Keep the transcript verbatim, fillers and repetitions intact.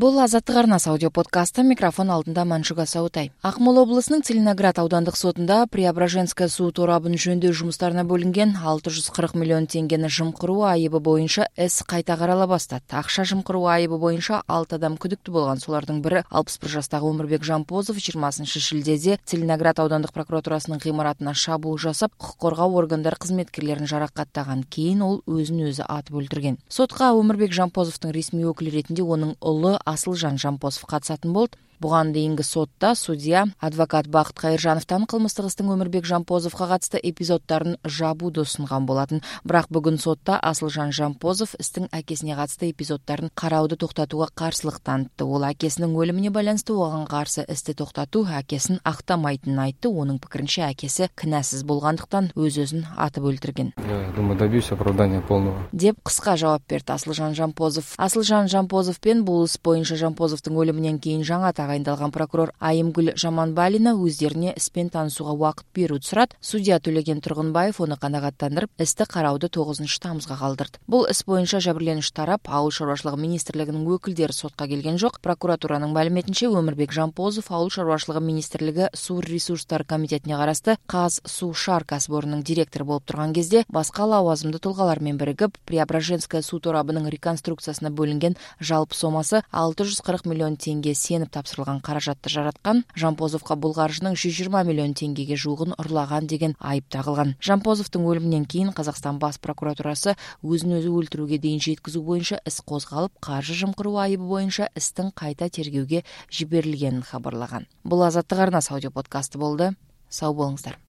Бул Азаттык арнасы аудио подкасты. Микрофон алдында Маншуга Саутай. Акмола облусунун Целиноград аудандык сотунда Преображенская суу торабын жөндөө жумуштарына бөлүнген алты жүз кырк миллион теңгени жымкыруу айыбы боюнча эс кайта карала баштады. Акча жымкыруу айыбы боюнча алты адам күдүктүү болгон. Солардын бири алпыс бир жаштагы Өмүрбек Жампозов жыйырмасынчы шилдеде Целиноград аудандык прокуратурасынын гымаратына шабуул жасап, укук коргоо органдары кызметкерлерин жаракаттаган. Кийин ол өзүн өзү атып өлтүргөн. Сотко Өмүрбек Жампозовдун ресми өкүлү ретинде онун улу Асылжан Жампозов катышатын болду. Буга дейинки сотта судья адвокат Бакыт Кайыржановдон кылмыштык истин Өмүрбек Жампозовго катысты эпизоддорун жабууду сунган болатын. Бирок бүгүн сотта Асылжан Жампозов истин акесине катысты эпизоддорун караууду токтотууга каршылык танытты. Ол акесинин өлүмүнө байланыштуу оган каршы исти токтотуу акесин актамайтынын айтты. Онун пикиринче, акеси кынасыз болгондуктан өз-өзүн атып өлтүргөн. Я думаю, добьюсь оправдания полного. Деп кыска жооп берди Асылжан Жампозов. Асылжан Жампозов пен бул ис боюнча Жампозовдун өлүмүнөн кийин жаңы тагайындалган прокурор Айымгүл Жаманбалина өздерине испен таанышууга убакыт берүүнү сурат. Судья Төлеген Тургунбаев ону канагаттандырып, исти караууду тогузунчу тамызга калдырды. Бул ис боюнча жабырленүүчү тарап Ауыл шаруашылыгы министрлигинин өкүлдери сотко келген жок. Прокуратуранын маалиметинче, Өмүрбек Жампозов Ауыл шаруашылыгы министрлиги суу ресурстары комитетине карасты Каз суу шаар касыпорнунун директору болуп турган кезде башка лауазымдуу тулгалар менен биригип Преображенская суу торабынын реконструкциясына бөлүнген жалпы сомасы алты жүз кырк миллион теңге сенip тапшырылган каражатты жараткан. Жампозовго бул каржының жүз жыйырма миллион теңгеге жугун урлаган деген айып тагылган. Жампозовдун өлүмүнөн кийин Казакстан бас прокуратурасы өзүн өзү өлтүрүүгө дейин жеткизүү боюнча ис козголуп, каржы жымкыруу айыбы боюнча истин кайта тергөөгө жиберилгенин кабарлаган. Бул Азаттык арнасы аудио подкасты болду. Сау болуңуздар.